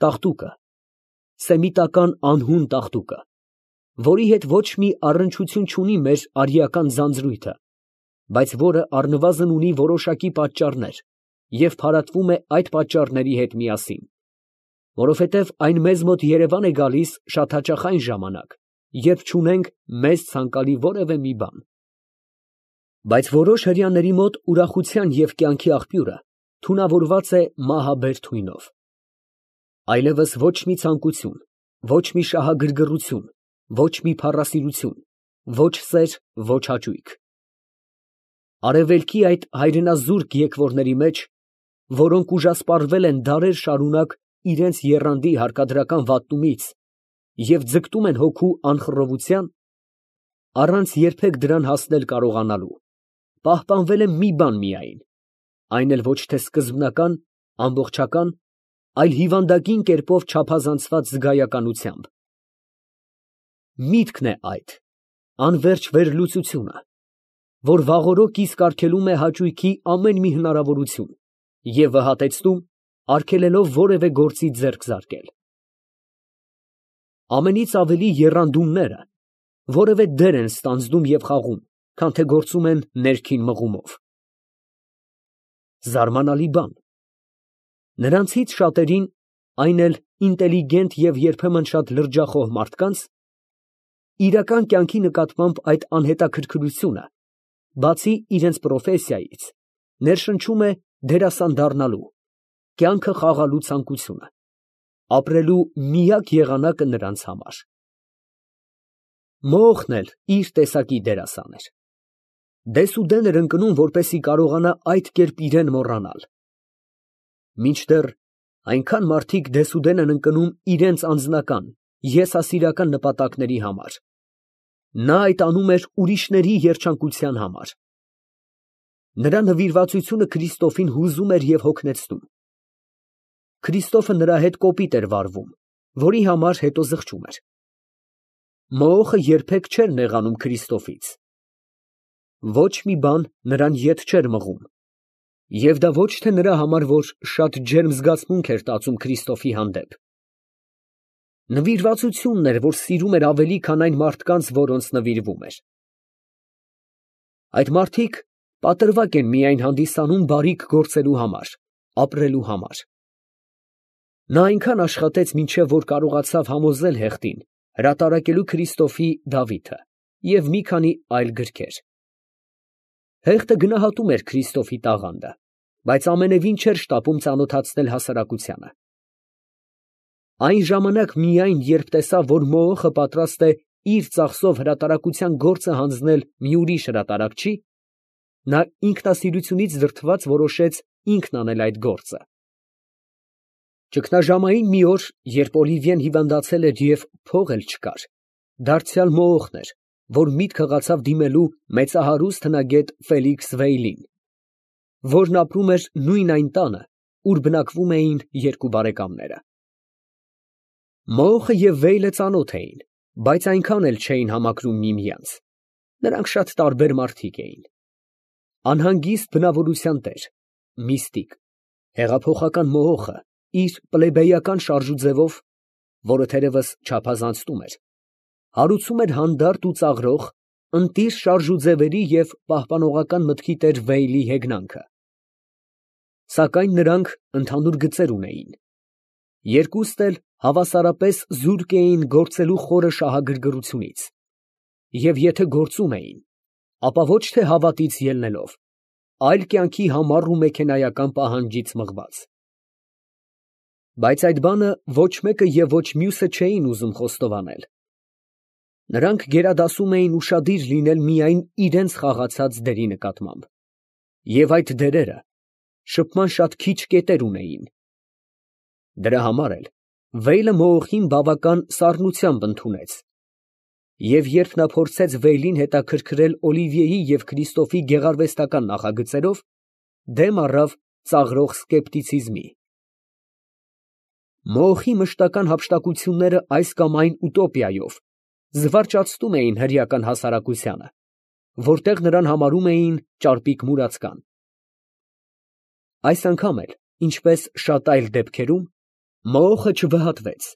տաղտուկը, սեմիտական անհուն տաղտուկը, որի հետ ոչ մի առնչություն չունի մեր արիական ձանձրույթը, բայց որը առնվազն ունի որոշակի պատճառներ և փարատվում է այդ պատճառների հետ միասին, որովհետև այն մեզ մոտ երևան է գալիս շատ հաճախ այն ժամանակ, երբ չունենք մեզ ցանկալի որևէ մի բան։ Բայց որոշ հրեաների մոտ ուրախության և կյանքի աղբյուրը թունավորված է մահաբեր թույնով։ Այլևս ոչ մի ցանկություն, ոչ մի շահագրգռություն, ոչ մի փառասիրություն, ոչ սեր, ոչ հաճույք։ Արևելքի այդ հայրենազուրկ եկվորների մեջ, որոնք ուժասպառվել են դարեր շարունակ իրենց եռանդի հարկադրական վատնումից և ձգտում են հոգու անխռովության, առանց երբեք դրան հասնել կարողանալու, պահպանվել է մի բան միայն, այն էլ ոչ թե սկզբնական, ամբողջական, այլ հիվանդագին կերպով չափազանցված զգայականությամբ։ Միտքն է այդ, անվերջ վերլուծությունը, որ վաղօրոք իսկ արգելում է հաճույքի ամեն մի հնարավորություն և վհատեցնում, արգելելով որևէ գործի ձեռք զարկել։ Ամենից ավելի եռանդումները որևէ դեր են ստանձնում և խաղում, քան թե գործում են ներքին մղումով։ Զարմանալի բան, նրանցից շատերին, այն էլ ինտելիգենտ և երբեմն շատ լրջախոհ մարդկանց, իրական կյանքի նկատմամբ այդ անհետաքրքրությունը, բացի իրենց պրոֆեսիայից, ներշնչում է դերասան դառնալու, կյանքը խաղալու ցանկությունը, ապրելու միակ եղանակը նրանց համար։ Մոոխն էլ իր տեսակի դերասան էր։ Դեսուդեն էր ընկնում, որպեսզի կարողանա այդ կերպ իրան մոռանալ։ Մինչդեռ այնքան մարդիկ դեսուդեն են ընկնում իրենց անձնական, եսասիրական նպատակների համար, նա այդ անում էր ուրիշների երջանկության համար։ Նրա նվիրվածությունը Քրիստոֆին հուզում էր և հոգնեցնում։ Քրիստոֆը նրա հետ կոպիտ էր վարվում, որի համար հետո զղջում էր։ Մոոխը երբեք չէր նեղանում Քրիստոֆից։ Ոչ մի բան նրան ետ չէր մղում, և դա ոչ թե նրա համար, որ շատ ջերմ զգացմունք էր տածում Քրիստոֆի հանդեպ։ Նվիրվածությունն էր, որ սիրում էր ավելի, քան այն մարդկանց, որոնց նվիրվում էր։ Այդ մարդիկ պատրվակ են միայն հանդիսանում բարիք գործելու համար, ապրելու համար։ Նա այնքան աշխատեց, մինչև որ կարողացավ համոզել հեղտին հրատարակելու Քրիստոֆի Դավիթը և մի քանի այլ գրքեր։ Հեղտը գնահատում էր Քրիստոֆի տաղանդը, բայց ամենևին չէր շտապում ծանոթացնել հասարակությանը։ Այն ժամանակ միայն, երբ տեսավ, որ Մոոխը պատրաստ է իր ծախսով հրատարակության գործը հանձնել մի ուրիշ հրատարակչի, նա ինքնասիրությունից դրդված որոշեց ինքն անել այդ գործը։ Ճգնաժամային մի օր, երբ Օլիվիեն հիվանդացել էր և փող էլ չկար, դարձյալ Մոոխն էր, որ միտք հղացավ դիմելու մեծահարուստ հնագետ Ֆելիքս Վեյլին, որն ապրում էր նույն այն տանը, ուր բնակվում էին երկու բարեկամները։ Մոոխը և Վեյլը ծանոթ էին, բայց այնքան էլ չէին համակրում միմյանց. նրանք շատ տարբեր մարդիկ էին։ Անհանգիստ բնավորության տեր, միստիկ, հեղափոխական Մոոխը իր պլեբեյական շարժուձևով, որը թերևս չափազանցնում էր, հարուցում էր հանդարտ ու ծաղրող, ընտիր շարժուձևերի և պահպանողական մտքի տեր Վեյլի հեգնանքը։ Սակայն նրանք ընդհանուր գծեր ունեին. երկուստ էլ հավասարապես զուրկ էին գործելու խորը շահագրգռությունից, և եթե գործում էին, ապա ոչ թե հավատից ելնելով, այլ կյանքի համառ ու մեքենայական պահանջից մղված։ Բայց այդ բանը ոչ մեկը և ոչ մյուսը չէին ուզում խոստովանել։ Նրանք գերադասում էին ուշադիր լինել միայն իրենց խաղացած դերի նկատմամբ, և այդ դերերը շփման շատ քիչ կետեր ունեին։ Դրա համար էլ Վեյլը Մոոխին բավական սառնությամբ ընդունեց, և երբ նա փորձեց Վեյլին հետաքրքրել Օլիվիեի և Քրիստոֆի գեղարվեստական նախագծերով, դեմ առավ ծաղրող սկեպտիցիզմի։ Մոոխի մշտական հափշտակությունները այս կամ այն ուտոպիայով զվարճացնում էին հրեական հասարակությանը, որտեղ նրան համարում էին ճարպիկ մուրացկան։ Այս անգամ էլ, ինչպես շատ այլ դեպքերում, Մոոխը չվհատվեց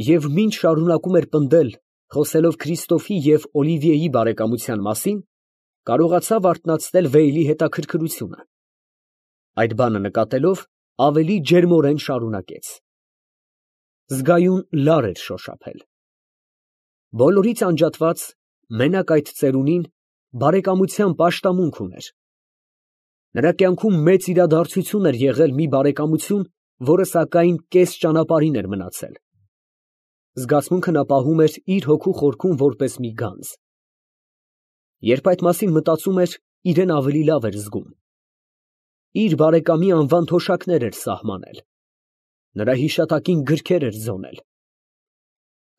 և մինչ շարունակում էր պնդել, խոսելով Քրիստոֆի և Օլիվիեի բարեկամության մասին, կարողացավ արթնացնել Վեյլի հետաքրքրությունը. այդ բանը նկատելով, ավելի ջերմորեն շարունակեց. Զգայուն լար էր շոշափել։ Բոլորից անջատված, մենակ այդ ծերունին բարեկամության պաշտամունք ուներ։ Նրա կյանքում մեծ իրադարձություն էր եղել մի բարեկամություն, որը սակայն կես ճանապարհին էր մնացել։ Զգացմունքը նա պահում էր իր հոգու խորքում որպես մի գանձ։ Երբ այդ մասին մտածում էր, իրեն ավելի լավ էր զգում։ Իր բարեկամի անվան թոշակներ էր սահմանել, նրա հիշատակին գրքեր էր ձոնել։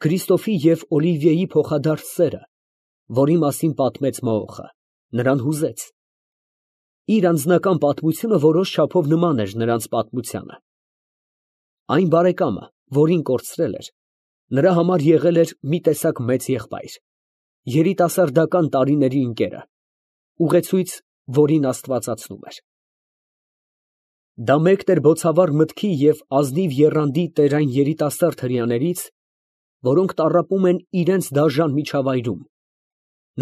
Քրիստոֆի և Օլիվիեի փոխադարձ սերը, որի մասին պատմեց Մոոխը, նրան հուզեց։ Իր անձնական պատմությունը որոշ չափով նման էր նրանց պատմությանը։ Այն բարեկամը, որին կորցրել էր, նրա համար եղել էր մի տեսակ մեծ եղբայր, երիտասարդական տարիների ընկերը, ուղեցույց, որին աստվածացնում էր։ Դա մեկն էր բոցավառ մտքի և ազնիվ եռանդի տեր այն երիտասարդ հրեաներից, որոնք տառապում են իրենց դաժան միջավայրում,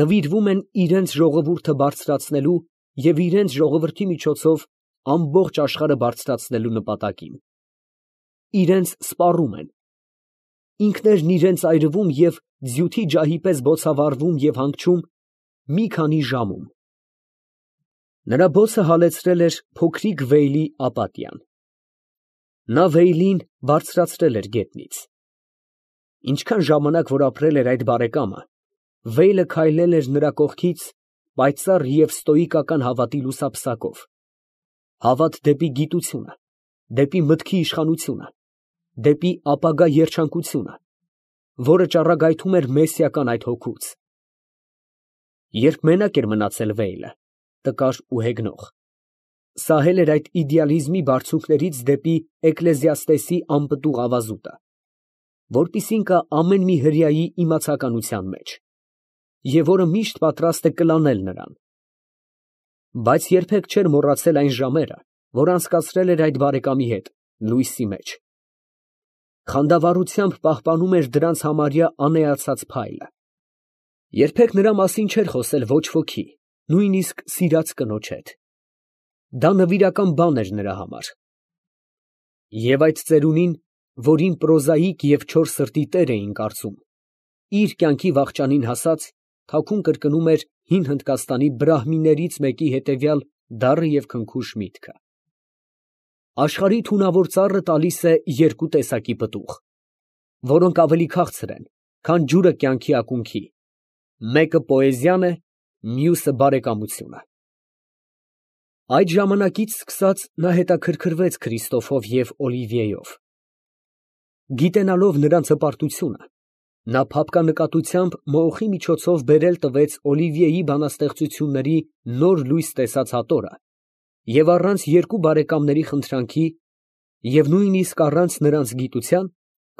նվիրվում են իրենց ժողովուրդը բարձրացնելու և իրենց ժողովրդի միջոցով ամբողջ աշխարհը բարձրացնելու նպատակին։ Իրենց սպառում են, ինքներն իրենց այրվում և ձյութի ջահի պես բոցավառվում և հանգչում մի քանի ժամում։ Նրա բոցը հալեցրել էր փոքրիկ Վեյլի ապատիան։ Նա Վեյլին բարձրացրել էր գետնից։ Ինչքան ժամանակ որ ապրել էր այդ բարեկամը, Վեյլը քայլել էր նրա կողքից պայծառ և ստոիկական հավատի լուսափսակով, հավատ դեպի գիտությունը, դեպի մտքի իշխանությունը, դեպի ապագա երջանկությունը, որը ճառագայթում էր մեսիական այդ հոգուց։ Երբ մենակ էր մնացել Վեյլը, տկար ու հեգնող, սահել էր այդ իդեալիզմի բարձունքներից դեպի Էկլեզիաստեսի անպտուղ ավազուտը, որպիսին կա ամեն մի հրեայի իմացականության մեջ, և որը միշտ պատրաստ է կլանել նրան։ Բայց երբեք չէր մոռացել այն ժամերը, որ անցկացրել էր այդ բարեկամի հետ լույսի մեջ։ Խանդավառությամբ պահպանում էր դրանց համարյա անեացած փայլը։ Երբեք նրա մասին չէր խոսել ոչ ոքի, նույնիսկ սիրած կնոջ հետ։ Դա նվիրական բան էր նրա համար։ Եվ այդ ծերունին, որին պրոզաիկ և չոր սրտի տեր էին կարծում, իր կյանքի վախճանին հասած, թաքուն կրկնում էր հին Հնդկաստանի բրահմիներից մեկի հետևյալ դառը և քնքուշ միտքը. աշխարհի թունավոր ծառը տալիս է երկու տեսակի պտուղ, որոնք ավելի քաղցր են, քան ջուրը կյանքի ակունքի. մեկը պոեզիան է, մյուսը բարեկամությունը։ Այդ ժամանակից սկսած նա հետաքրքրվեց Քրիստոֆով և Օլիվիեով։ Գիտենալով նրանց հպարտությունը, նա փափկանկատությամբ Մոոխի միջոցով բերել տվեց Օլիվիեի բանաստեղծությունների նոր լույս տեսած հատորը և առանց երկու բարեկամների խնդրանքի և նույնիսկ առանց նրանց գիտության,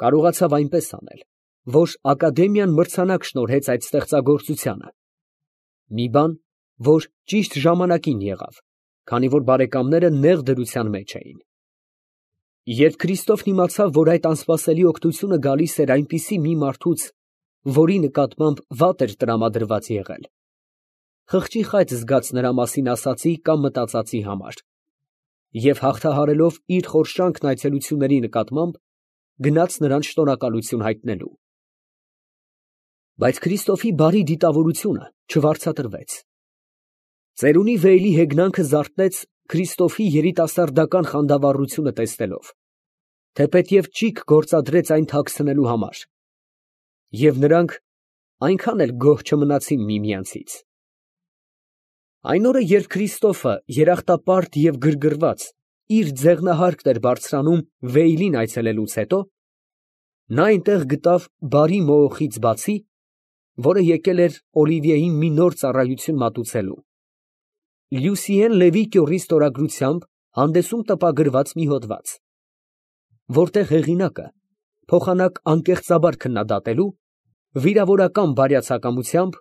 կարողացավ այնպես անել, որ ակադեմիան մրցանակ շնորհեց այդ ստեղծագործությանը, մի բան, որ ճիշտ ժամանակին եղավ, քանի որ բարեկամները նեղ դրության մեջ էին։ Երբ Քրիստոֆն իմացավ, որ այդ անսպասելի օգնությունը գալիս էր այնպիսի մի մարդուց, որի նկատմամբ վատ էր տրամադրված եղել, խղճի խայծ զգաց նրա մասին ասածի կամ մտածածի համար, և հաղթահարելով իր խորշանքն այցելությունների նկատմամբ, գնաց նրան շնորհակալություն հայտնելու։ Բայց Քրիստոֆի բարի դիտավորությունը չվարձատրվեց։ Ծերունի Վեյլի հեգնանքը զարթնեց Քրիստոֆի երիտասարդական խանդավառությունը տեսնելով, թեպետև ճիգ գործադրեց այն թաքցնելու համար, և նրանք այնքան էլ գոհ չմնացին միմյանցից։ Այն օրը, երբ Քրիստոֆը երախտապարտ և գրգռված իր ձեղնահարկն էր բարձրանում Վեյլին այցելելուց հետո, նա այնտեղ գտավ բարի Մոոխից բացի, որը եկել էր Օլիվիեին մի նոր ծառայություն մատուցելու, Լյուսիեն Լևի կյորի ստորագրությամբ հանդեսում տպագրված մի հոդված, որտեղ հեղինակը, փոխանակ անկեղծաբար քննադատելու, վիրավորական բարյացակամությամբ,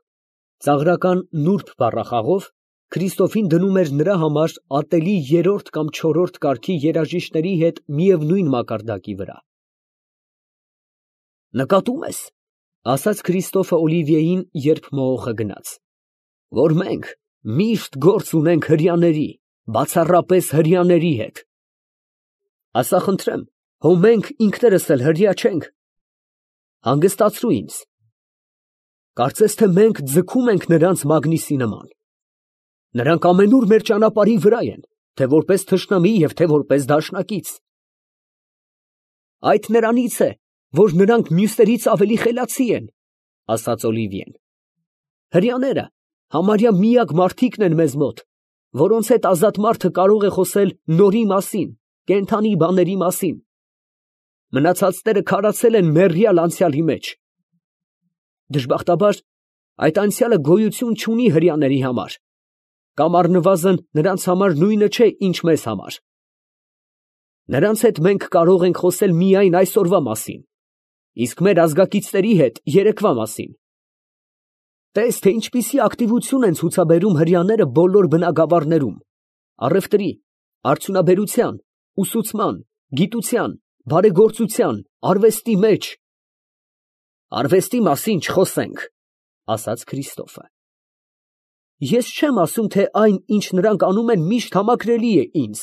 ծաղրական նուրբ բառախաղով Քրիստոֆին դնում էր նրա համար ատելի երրորդ կամ չորրորդ կարգի երաժիշտների հետ միևնույն մակարդակի վրա։ Նկատում ես, ասաց Քրիստոֆը Օլիվիեին, երբ մողոխը գնաց, որ մենք միշտ գործ ունենք հրեաների, բացառապես հրեաների հետ։ Ասա խնդրեմ, հո մենք ինքներս էլ հրեա չենք։ Հանգստացրու ինձ։ Կարծես թե մենք ձգում ենք նրանց Մագնիսի նման։ Նրանք ամենուր մեր ճանապարհի վրա են, թե որպես թշնամի և թե որպես դաշնակից։ Այդ նրանից է, որ նրանք մյուսներից ավելի խելացի են, ասաց Օլիվիեն։ Հրեաները համարյա միակ մարդիկն են մեզ մոտ, որոնց հետ ազատ մարդը կարող է խոսել նորի մասին, կենդանի բաների մասին։ Մնացածները քարացել են մեռյալ անցյալի մեջ։ Դժբախտաբար, այդ անցյալը գոյություն չունի հրեաների համար, կամ առնվազն նրանց համար նույնը չէ, ինչ մեզ համար։ Նրանց հետ մենք կարող ենք խոսել միայն այսօրվա մասին, իսկ մեր ազգակիցների հետ երեկվա մասին։ Տես, թե ինչպիսի ակտիվություն են ցուցաբերում հրեաները բոլոր բնագավառներում, առևտրի, արդյունաբերության, ուսուցման, գիտության, բարեգործության, արվեստի մեջ։ Արվեստի մասին չխոսենք, ասաց Քրիստոֆը։ Ես չեմ ասում, թե այն, ինչ նրանք անում են, միշտ համակրելի է ինձ,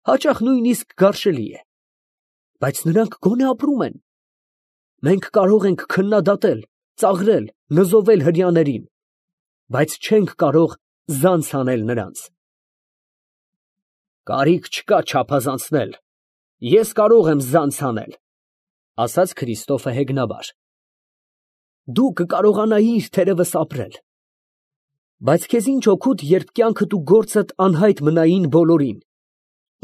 հաճախ նույնիսկ գարշելի է, բայց նրանք գոնե ապրում են։ Մենք կարող ենք քննադատել, ծաղրել, նզովել հրեաներին, բայց չենք կարող զանց անել նրանց։ Կարիք չկա չափազանցնել, ես կարող եմ զանց անել, ասաց Քրիստոֆը հեգնաբար։ Դու կկարողանայիր թերևս ապրել, բայց քեզ ինչ օգուտ, երբ կյանքդ ու գործդ անհայտ մնային բոլորին,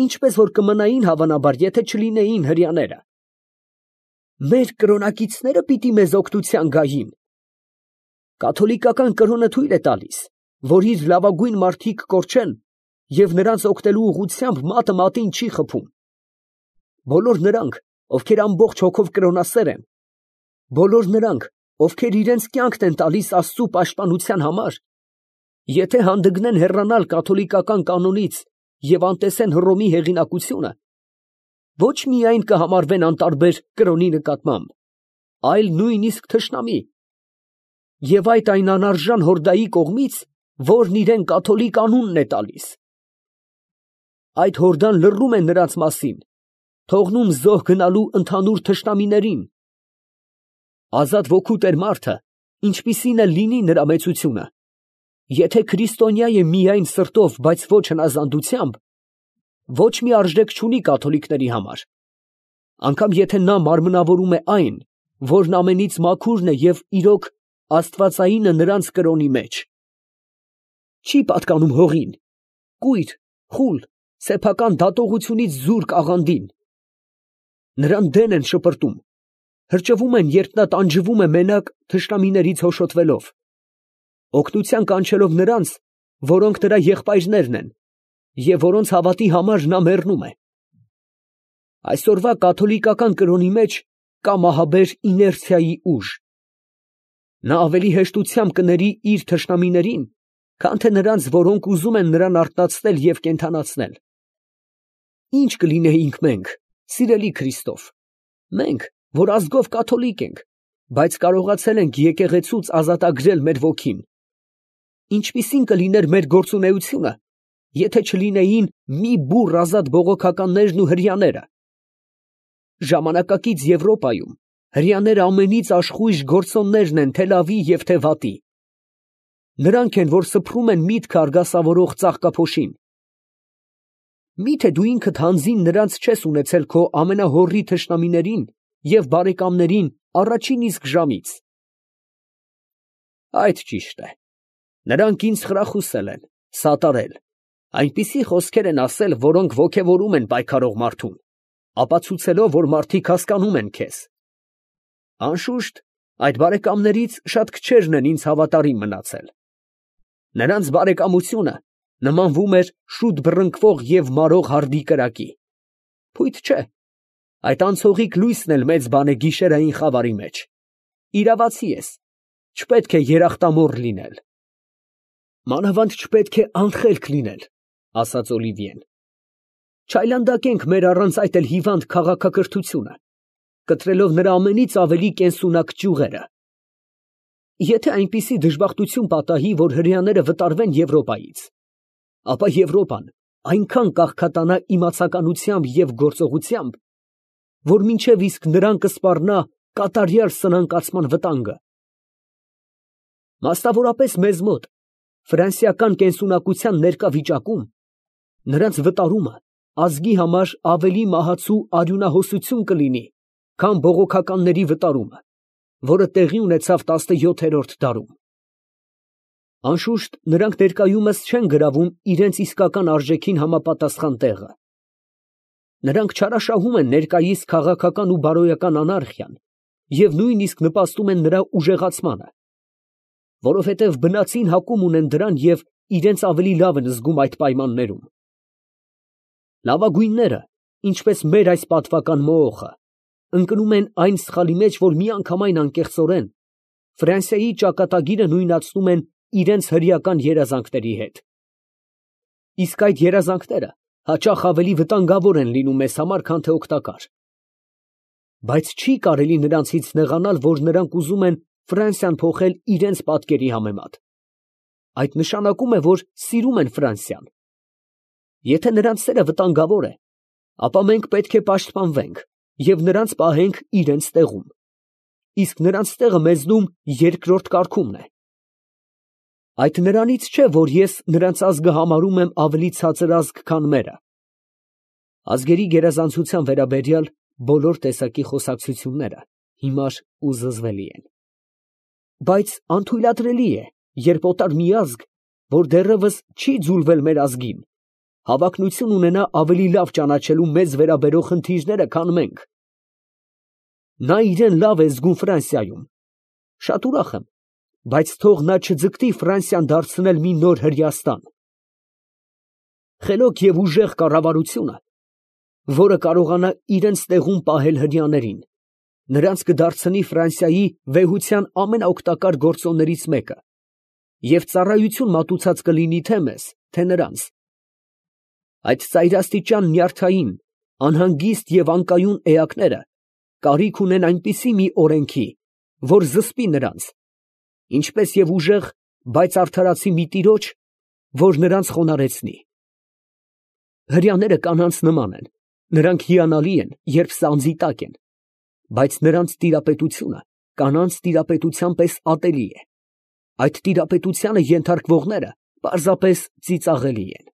ինչպես որ կմնային հավանաբար, եթե չլինեին հրեաները։ Մեր կրոնակիցները պիտի մեզ օգնության գային։ Կաթոլիկական կրոնը թույլ է տալիս, որ իր լավագույն մարդիկ կորչեն և նրանց օգնելու ուղղությամբ մատը մատին չի խփում։ Բոլոր նրանք, ովքեր ամբողջ հոգով կրոնասեր են, բոլոր նրանք, ովքեր իրենց կյանքն են տալիս Աստծու պաշտպանության համար, եթե հանդգնեն հեռանալ կաթոլիկական կանոնից և անտեսեն Հռոմի հեղինակությունը, ոչ միայն կհամարվեն անտարբեր կրոնի նկատմամբ, այլ նույնիսկ թշնամի, և այդ այն անարժան հորդայի կողմից, որն իրեն կաթոլիկ անունն է տալիս։ Այդ հորդան լռում է նրանց մասին, թողնում զոհ գնալու ընդհանուր թշնամիներին։ Ազատ ոգու տեր մարդը, ինչպիսին էլ լինի նրա մեծությունը, եթե քրիստոնյա է միայն սրտով, բայց ոչ հնազանդությամբ, ոչ մի արժեք չունի կաթոլիկների համար, անգամ եթե նա մարմնավորում է այն, որն ամենից մաքուրն է և իրոք աստվածայինը նրանց կրոնի մեջ։ Չի պատկանում հողին, կույր, խուլ, սեփական դատողությունից զուրկ աղանդին։ Նրան դեն են շպրտում, հրճվում են, երբ նա տանջվում է մենակ թշնամիներից հոշոտվելով, օգնության կանչելով նրանց, որոնք նրա եղբայրներն են, և որոնց հավատի համար նա մեռնում է։ Այսօրվա կաթոլիկական կրոնի մեջ կա մահաբեր իներցիայի ուժ։ Նա ավելի հեշտությամբ կների իր թշնամիներին, քան թե նրանց, որոնք ուզում են նրան արթնացնել և կենդանացնել։ Ինչ կլինեինք մենք, սիրելի Քրիստոֆ, մենք, որ ազգով կաթոլիկ ենք, բայց կարողացել ենք եկեղեցուց ազատագրել մեր ոգին, ինչպիսին կլիներ մեր գործունեությունը, եթե չլինեին մի բուռ ազատ բողոքականներն ու հրեաները։ Ժամանակակից Եվրոպայում հրեաները ամենից աշխույժ գործոններն են թե լավի և թե վատի։ Նրանք են, որ սփռում են միտքը արգասավորող ծաղկափոշին։ Միթե դու ինքդ հանձին նրանց չես ունեցել քո ամենահոռի թշնամիներին և բարեկամներին առաջին իսկ ժամից։ Այդ ճիշտ է. նրանք ինձ խրախուսել են, սատարել, այնպիսի խոսքեր են ասել, որոնք ոգևորում են պայքարող մարդուն, ապացուցելով, որ մարդիկ հասկանում են քեզ։ Անշուշտ, այդ բարեկամներից շատ քչերն են ինձ հավատարիմ մնացել։ Նրանց բարեկամությունը նմանվում էր շուտ բռնկվող և մարող հարդի կրակի։ Փույթ չէ, այդ անցողիկ լույսն էլ մեծ բան է գիշերային խավարի մեջ։ Իրավացի ես, չպետք է երախտամոռ լինել։ Մանավանդ չպետք է անխելք լինել, ասաց Օլիվիեն։ Չայլանդակենք մեր առանց այդ էլ հիվանդ քաղաքակրթությունը։ կտրելով նրա ամենից ավելի կենսունակ ճյուղերը։ Եթե այնպիսի դժբախտություն պատահի, որ հրեաները վտարվեն Եվրոպայից, ապա Եվրոպան այնքան կաղքատանա իմացականությամբ և գործողությամբ, որ մինչև իսկ նրան կսպառնա կատարյալ սնանկացման վտանգը։ Մասնավորապես մեզ մոտ, ֆրանսիական կենսունակության ներկա վիճակում, նրանց վտարումը ազգի համար ավելի մահացու արյունահոսություն կլինի, քան բողոքականների վտարումը, որը տեղի ունեցավ 17-րդ դարում։ Անշուշտ, նրանք ներկայումս չեն գրավում իրենց իսկական արժեքին համապատասխան տեղը։ Նրանք չարաշահում են ներկայիս քաղաքական ու բարոյական անարխիան և նույնիսկ նպաստում են նրա ուժեղացմանը, որովհետև բնածին հակում ունեն դրան և իրենց ավելի լավ են զգում այդ պայմաններում։ Լավագույնները, ինչպես մեր այս պատվական մոոխը, ընկնում են այն սխալի մեջ, որ միանգամայն անկեղծորեն Ֆրանսիայի ճակատագիրը նույնացնում են իրենց հրեական երազանքների հետ։ Իսկ այդ երազանքները հաճախ ավելի վտանգավոր են լինում մեզ համար, քան թե օգտակար։ Բայց չի կարելի նրանցից նեղանալ, որ նրանք ուզում են Ֆրանսիան փոխել իրենց պատկերի համեմատ։ Այդ նշանակում է, որ սիրում են Ֆրանսիան։ Եթե նրանց սերը վտանգավոր է, ապա մենք պետք է պաշտպանվենք և նրանց պահենք իրենց տեղում, իսկ նրանց տեղը մեզնում երկրորդ կարգումն է։ Այդ նրանից չէ, որ ես նրանց ազգը համարում եմ ավելի ցածր ազգ, քան մերը։ Ազգերի գերազանցության վերաբերյալ բոլոր տեսակի խոսակցությունները հիմար ու զզվելի են։ Բայց անթույլատրելի է, երբ օտար մի ազգ, որ դեռևս չի ձուլվել մեր ազգին, հավակնություն ունենա ավելի լավ ճանաչելու մեզ վերաբերող խնդիրները, քան մենք։ Նա իրեն լավ է զգում Ֆրանսիայում։ Շատ ուրախ եմ, բայց թող նա չձգտի Ֆրանսիան դարձնել մի նոր Հրեաստան։ Խելոք և ուժեղ կառավարությունը, որը կարողանա իրենց տեղում պահել հրեաներին, նրանց կդարձնի Ֆրանսիայի վեհության ամենաօգտակար գործոններից մեկը և ծառայություն մատուցած կլինի թե մեզ, թե նրանց։ Այդ ծայրաստիճան նյարդային, անհանգիստ և անկայուն էակները կարիք ունեն այնպիսի մի օրենքի, որ զսպի նրանց, ինչպես և ուժեղ, բայց արդարացի մի տիրոջ, որ նրանց խոնարհեցնի։ Հրեաները կանանց նման են, նրանք հիանալի են, երբ սանձի տակ են, բայց նրանց տիրապետությունը կանանց տիրապետության պես ատելի է, այդ տիրապետությանը ենթարկվողները պարզապես ծիծաղելի են։